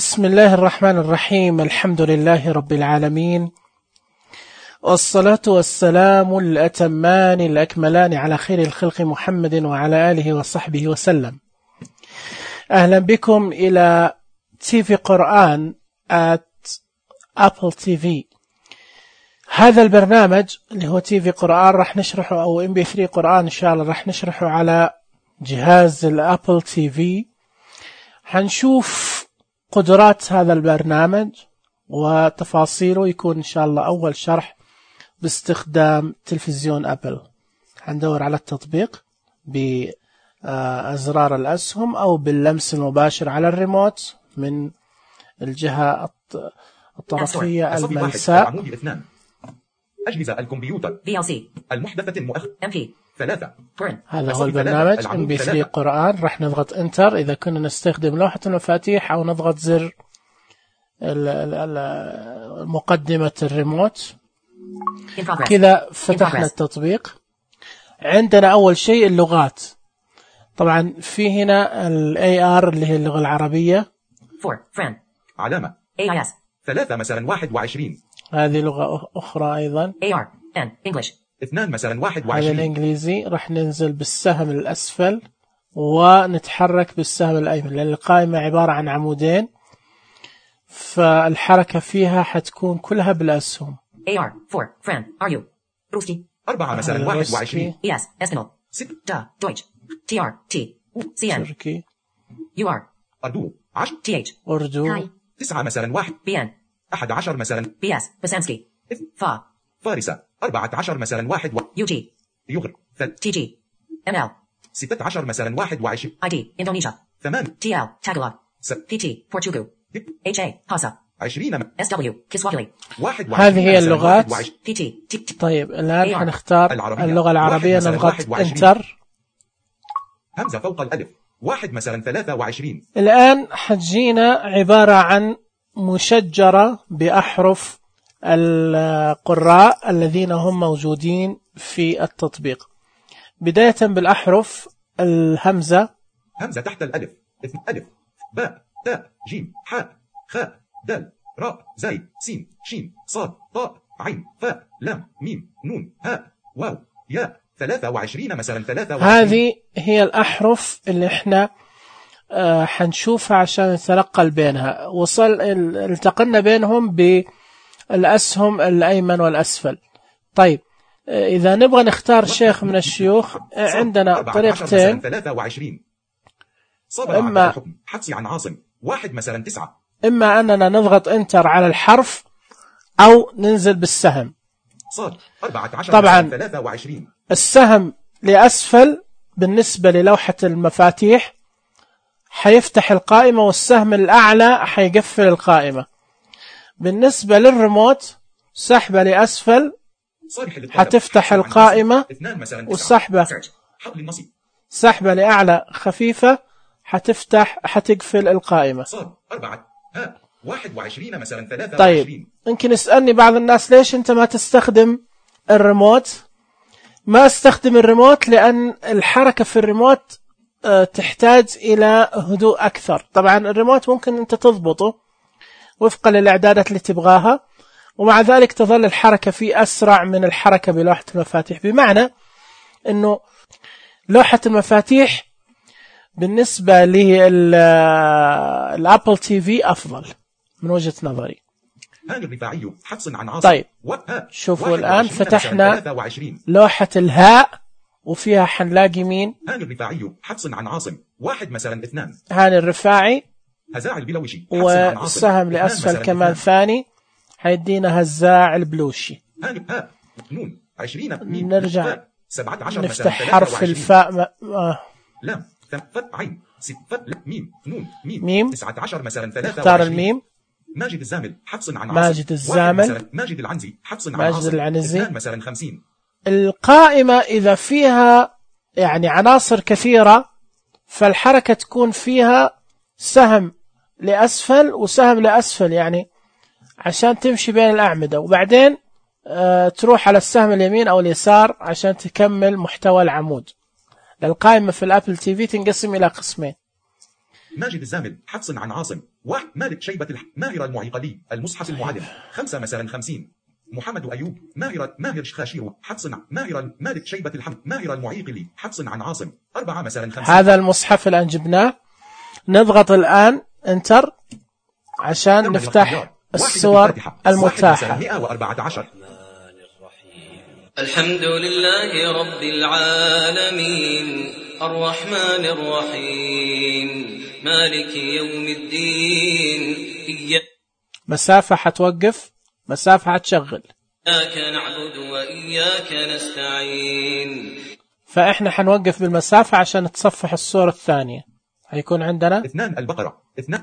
بسم الله الرحمن الرحيم. الحمد لله رب العالمين، والصلاة والسلام الأتمان الأكملان على خير الخلق محمد وعلى آله وصحبه وسلم. أهلا بكم إلى TV قرآن at Apple TV. هذا البرنامج اللي هو TV قرآن راح نشرحه، أو MP3 قرآن إن شاء الله راح نشرحه على جهاز الأبل TV. حنشوف قدرات هذا البرنامج وتفاصيله، يكون إن شاء الله أول شرح باستخدام تلفزيون أبل. حندور على التطبيق بأزرار الأسهم أو باللمس المباشر على الريموت من الجهة الطرفية الملساء. أجهزة الكمبيوتر VLC المحدثة MP 3. هذا هو البرنامج MP3 قرآن. راح نضغط انتر إذا كنا نستخدم لوحة المفاتيح، أو نضغط زر مقدمة الريموت. كذا فتحنا التطبيق. عندنا أول شيء اللغات. طبعا في هنا AR اللي هي اللغة العربية. علامة AIS 3 مثلا 21. هذه لغة أخرى أيضا. AR N English 2 مثلا 21. هذا الإنجليزي. راح ننزل بالسهم الأسفل ونتحرك بالسهم الأيمن، لأن القائمة عبارة عن عمودين، فالحركة فيها حتكون كلها بالأسهم. AR 4 Fran Are you روسي 4 مثلا 21. ES Espanol 6 Deutsch TR T CN تركي UR أردو 10 TH أردو 9 مثلا 1 BN 11 مثلا BS بسانسكي فارسة 14 مثلا 1 UG يغر TG ML 16 مثلا 21 ID إندونيسيا 8 TL تاغلوغ PT بورتوغو HA هاسا 20 SW كسواهيلي 1. هذه هي اللغات. PT طيب الآن حنختار اللغة العربية. نضغط انتر. همزة فوق الألف 1 مثلا 23. الآن حتجينا عبارة عن مشجرة بأحرف القراء الذين هم موجودين في التطبيق. بداية بالأحرف الهمزة. همزة تحت الألف ألف باء تاء جيم حاء خاء دال راء زاي سين شين صاد طاء عين فاء لام ميم نون هاء واو ياء 23 مثلا 23. هذه هي الأحرف اللي احنا حنشوفها عشان نتنقل بينها. التقلنا بينهم بالأسهم الأيمن والأسفل. طيب إذا نبغى نختار شيخ من الشيوخ، عندنا طريقتين. 23 إما حدسي عن عاصم 1 مثلا 9. إما أننا نضغط انتر على الحرف أو ننزل بالسهم. صاد 14 طبعا 23. السهم لأسفل بالنسبة للوحة المفاتيح حيفتح القائمة، والسهم الأعلى حيقفل القائمة. بالنسبة للريموت سحبة لأسفل حتفتح القائمة، والسحبة سحبة لأعلى خفيفة حتقفل القائمة. 21 مثلا 23. طيب يمكن يسألني بعض الناس ليش أنت ما تستخدم الريموت؟ ما استخدم الريموت لأن الحركة في الريموت تحتاج إلى هدوء أكثر. طبعا الريموت ممكن أنت تضبطه وفقا للإعدادات اللي تبغاها، ومع ذلك تظل الحركة فيه أسرع من الحركة بلوحة المفاتيح، بمعنى أنه لوحة المفاتيح بالنسبة للأبل تي في أفضل من وجهة نظري. طيب شوفوا الآن فتحنا لوحة الهاء وفيها حنلاقي مين؟ هاني الرفاعي حفص عن عاصم 1 مثلا 2. هاني الرفاعي هزاع البلوشي والسهم لأسفل كمان ثاني حيدينا هزاع البلوشي. هاني هاء نون 20 نرجع 17 نفتح حرف الفاء لام فتح عين 6 ميم نون ميم 19 مثلا 23. اختار الميم. ماجد الزامل حفص عن عاصم. ماجد الزامل. ماجد العنزي حفص عن ماجد عاصم. العنزي مثلا 50. القائمة إذا فيها يعني عناصر كثيرة فالحركة تكون فيها سهم لأسفل وسهم لأسفل، يعني عشان تمشي بين الأعمدة، وبعدين تروح على السهم اليمين أو اليسار عشان تكمل محتوى العمود. القائمة في الأبل تي في تنقسم إلى قسمين. ماجد الزامل حفص عن عاصم. مالك شيبة ماهر المعيقلي المصحف المعلم 5 مثلا 50. محمد أيوب ماهر خاشير حفص مالك شيبة الحمد ماهر المعيقلي حفص عن عاصم 4 مثلا 50. هذا المصحف الآن جبناه. نضغط الآن انتر عشان نفتح الصور المتاحة. 114. الحمد لله رب العالمين الرحمن الرحيم مالك يوم الدين مسافة حتوقف، مسافة حتشغل. إياك نعبد وإياك نستعين. فإحنا حنوقف بالمسافة عشان تصفح الصورة الثانية. هيكون عندنا 2 البقرة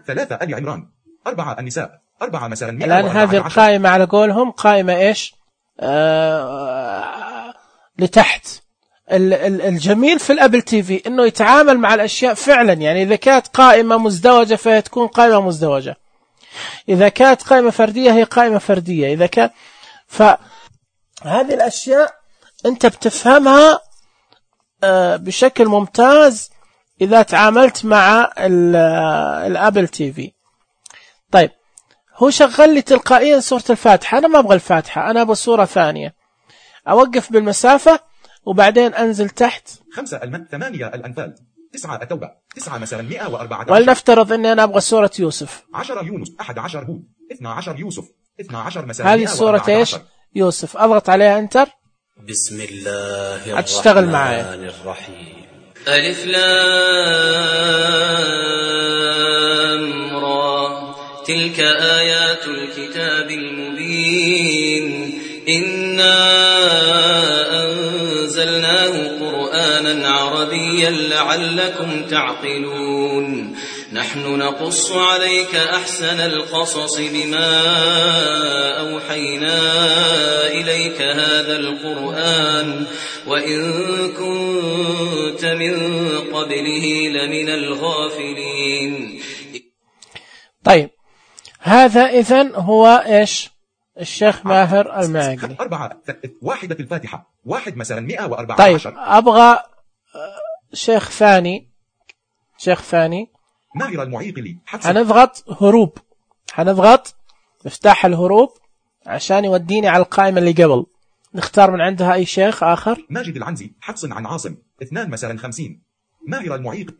3 آل عمران 4 النساء 4 مثلا 100. الآن هذه القائمة على قولهم قائمة إيش لتحت. الجميل في الأبل تي في إنه يتعامل مع الأشياء فعلا. يعني إذا كانت قائمة مزدوجة فهي تكون قائمة مزدوجة، إذا كانت قائمة فردية هي قائمة فردية، إذا كان فهذه الأشياء أنت بتفهمها بشكل ممتاز إذا تعاملت مع الأبل تي في. طيب هو شغل لي تلقائيا صورة الفاتحة، أنا ما أبغى الفاتحة، أنا أبغى صورة ثانية. أوقف بالمسافة وبعدين أنزل تحت. 5 8 الأنفال 9 التوبة 9 مثلا 114. ولنفترض أني أنا أبغى صورة يوسف. 10 يونس 11 هود 12 يوسف 12 مثلا. هذه صورة إيش؟ يوسف. أضغط عليها انتر. بسم الله الرحمن الرحيم. ألف لام را تلك آيات الكتاب المبين إنا أنزلناه قرآنا عربيا لعلكم تعقلون. نحن نقص عليك أحسن القصص بما أوحينا إليك هذا القرآن وإن كنت من قبله لمن الغافلين. طيب هذا إذن هو إيش؟ الشيخ ماهر المعقلي. 4 واحدة الفاتحة 1 مثلا 114. طيب أبغى شيخ ثاني ماهر المعيقلي. هنضغط هروب، هنضغط مفتاح الهروب عشان يوديني على القائمة اللي قبل. نختار من عندها أي شيخ آخر. ماجد العنزي حفص عن عاصم 2 مثلا 50. ماهر المعيق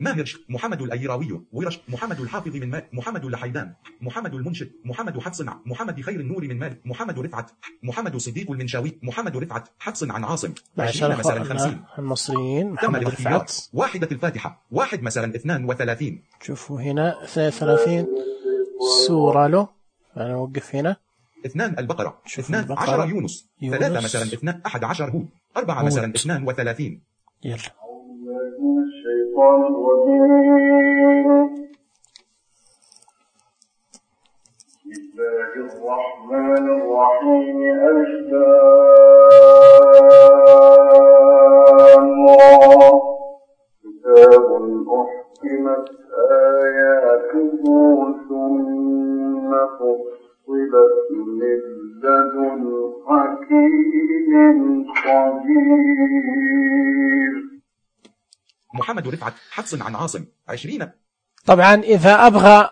محمد الأيراوي ورش محمد الحافظ من مال محمد اللحيدان محمد المنشد محمد حفص محمد خير النور من مال محمد رفعت محمد صديق المنشاوي محمد رفعت حفص عن عاصم 20 مثلا 50. المصريين محمد رفعت. واحدة الفاتحة 1 مثلا 32. شوفوا هنا 32 سورة له. أنا أوقف هنا. 2 البقرة 12 يونس 3 مثلا 2 11 هود 4 مثلا 32. يلا الشيطان الرجيم. بسم الله الرحمن الرحيم. ألف لام را كتاب أحكمت آياته ثم فصلت من لدن حكيم خبير. محمد رفعت حفص عن عاصم 20. طبعا إذا أبغى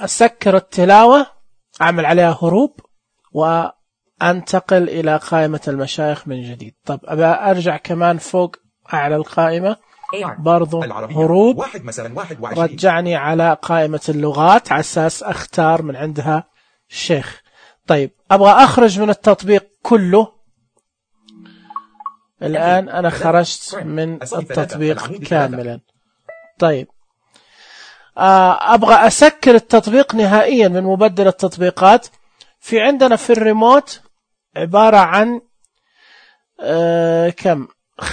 أسكر التلاوة أعمل عليها هروب وأنتقل إلى قائمة المشايخ من جديد. طب أبى أرجع كمان فوق أعلى القائمة برضو هروب 1 مثلا 21. رجعني على قائمة اللغات على أساس أختار من عندها الشيخ. طيب أبغى أخرج من التطبيق كله. الآن أنا خرجت من التطبيق كاملا. طيب أبغى أسكر التطبيق نهائيا من مبدل التطبيقات. في عندنا في الريموت عبارة عن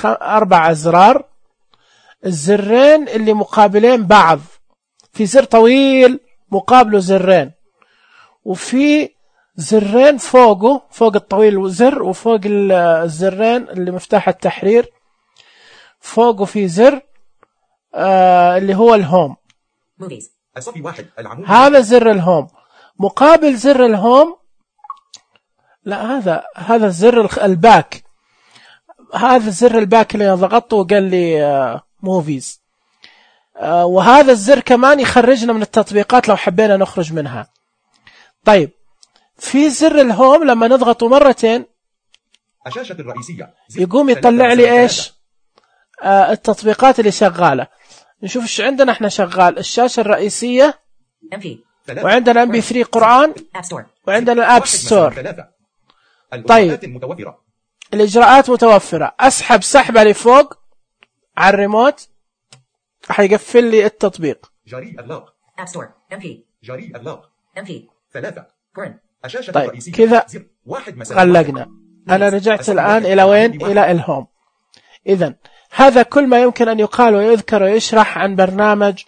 4 أزرار. الزرين اللي مقابلين بعض، في زر طويل مقابله زرين، وفي زرين فوقه فوق الطويل زر، وفوق الزرين اللي مفتاح التحرير فوقه في زر اللي هو الهوم. هذا زر الهوم. مقابل زر الهوم لا هذا زر الباك. هذا زر الباك اللي ضغطته وقال لي موفيز. وهذا الزر كمان يخرجنا من التطبيقات لو حبينا نخرج منها. طيب في زر الهوم لما نضغطه مرتين الشاشة الرئيسية يقوم يطلع لي إيش التطبيقات اللي شغالة. نشوف إيش عندنا إحنا شغال. الشاشة الرئيسية، وعندنا MP3 قرآن، وعندنا الآب ستور. طيب الإجراءات متوفرة. أسحب سحبة لفوق على الريموت حيقفل لي التطبيق. جاري إغلاق App Store MP جاري إغلاق MP 3 Current. الشاشة طيب الرئيسية كذا مثلا غلقنا. أنا رجعت الآن إلى وين؟ إلى الهوم. إذن هذا كل ما يمكن أن يقال ويذكر ويشرح عن برنامج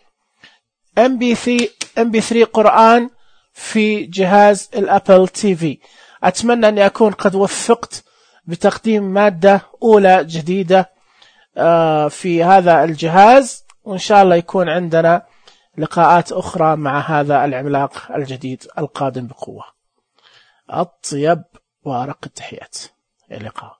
MP3 قرآن في جهاز الأبل تي في. أتمنى أني أكون قد وفقت بتقديم مادة أولى جديدة في هذا الجهاز، وإن شاء الله يكون عندنا لقاءات أخرى مع هذا العملاق الجديد القادم بقوة. أطيب وأرق التحيات. إلى اللقاء.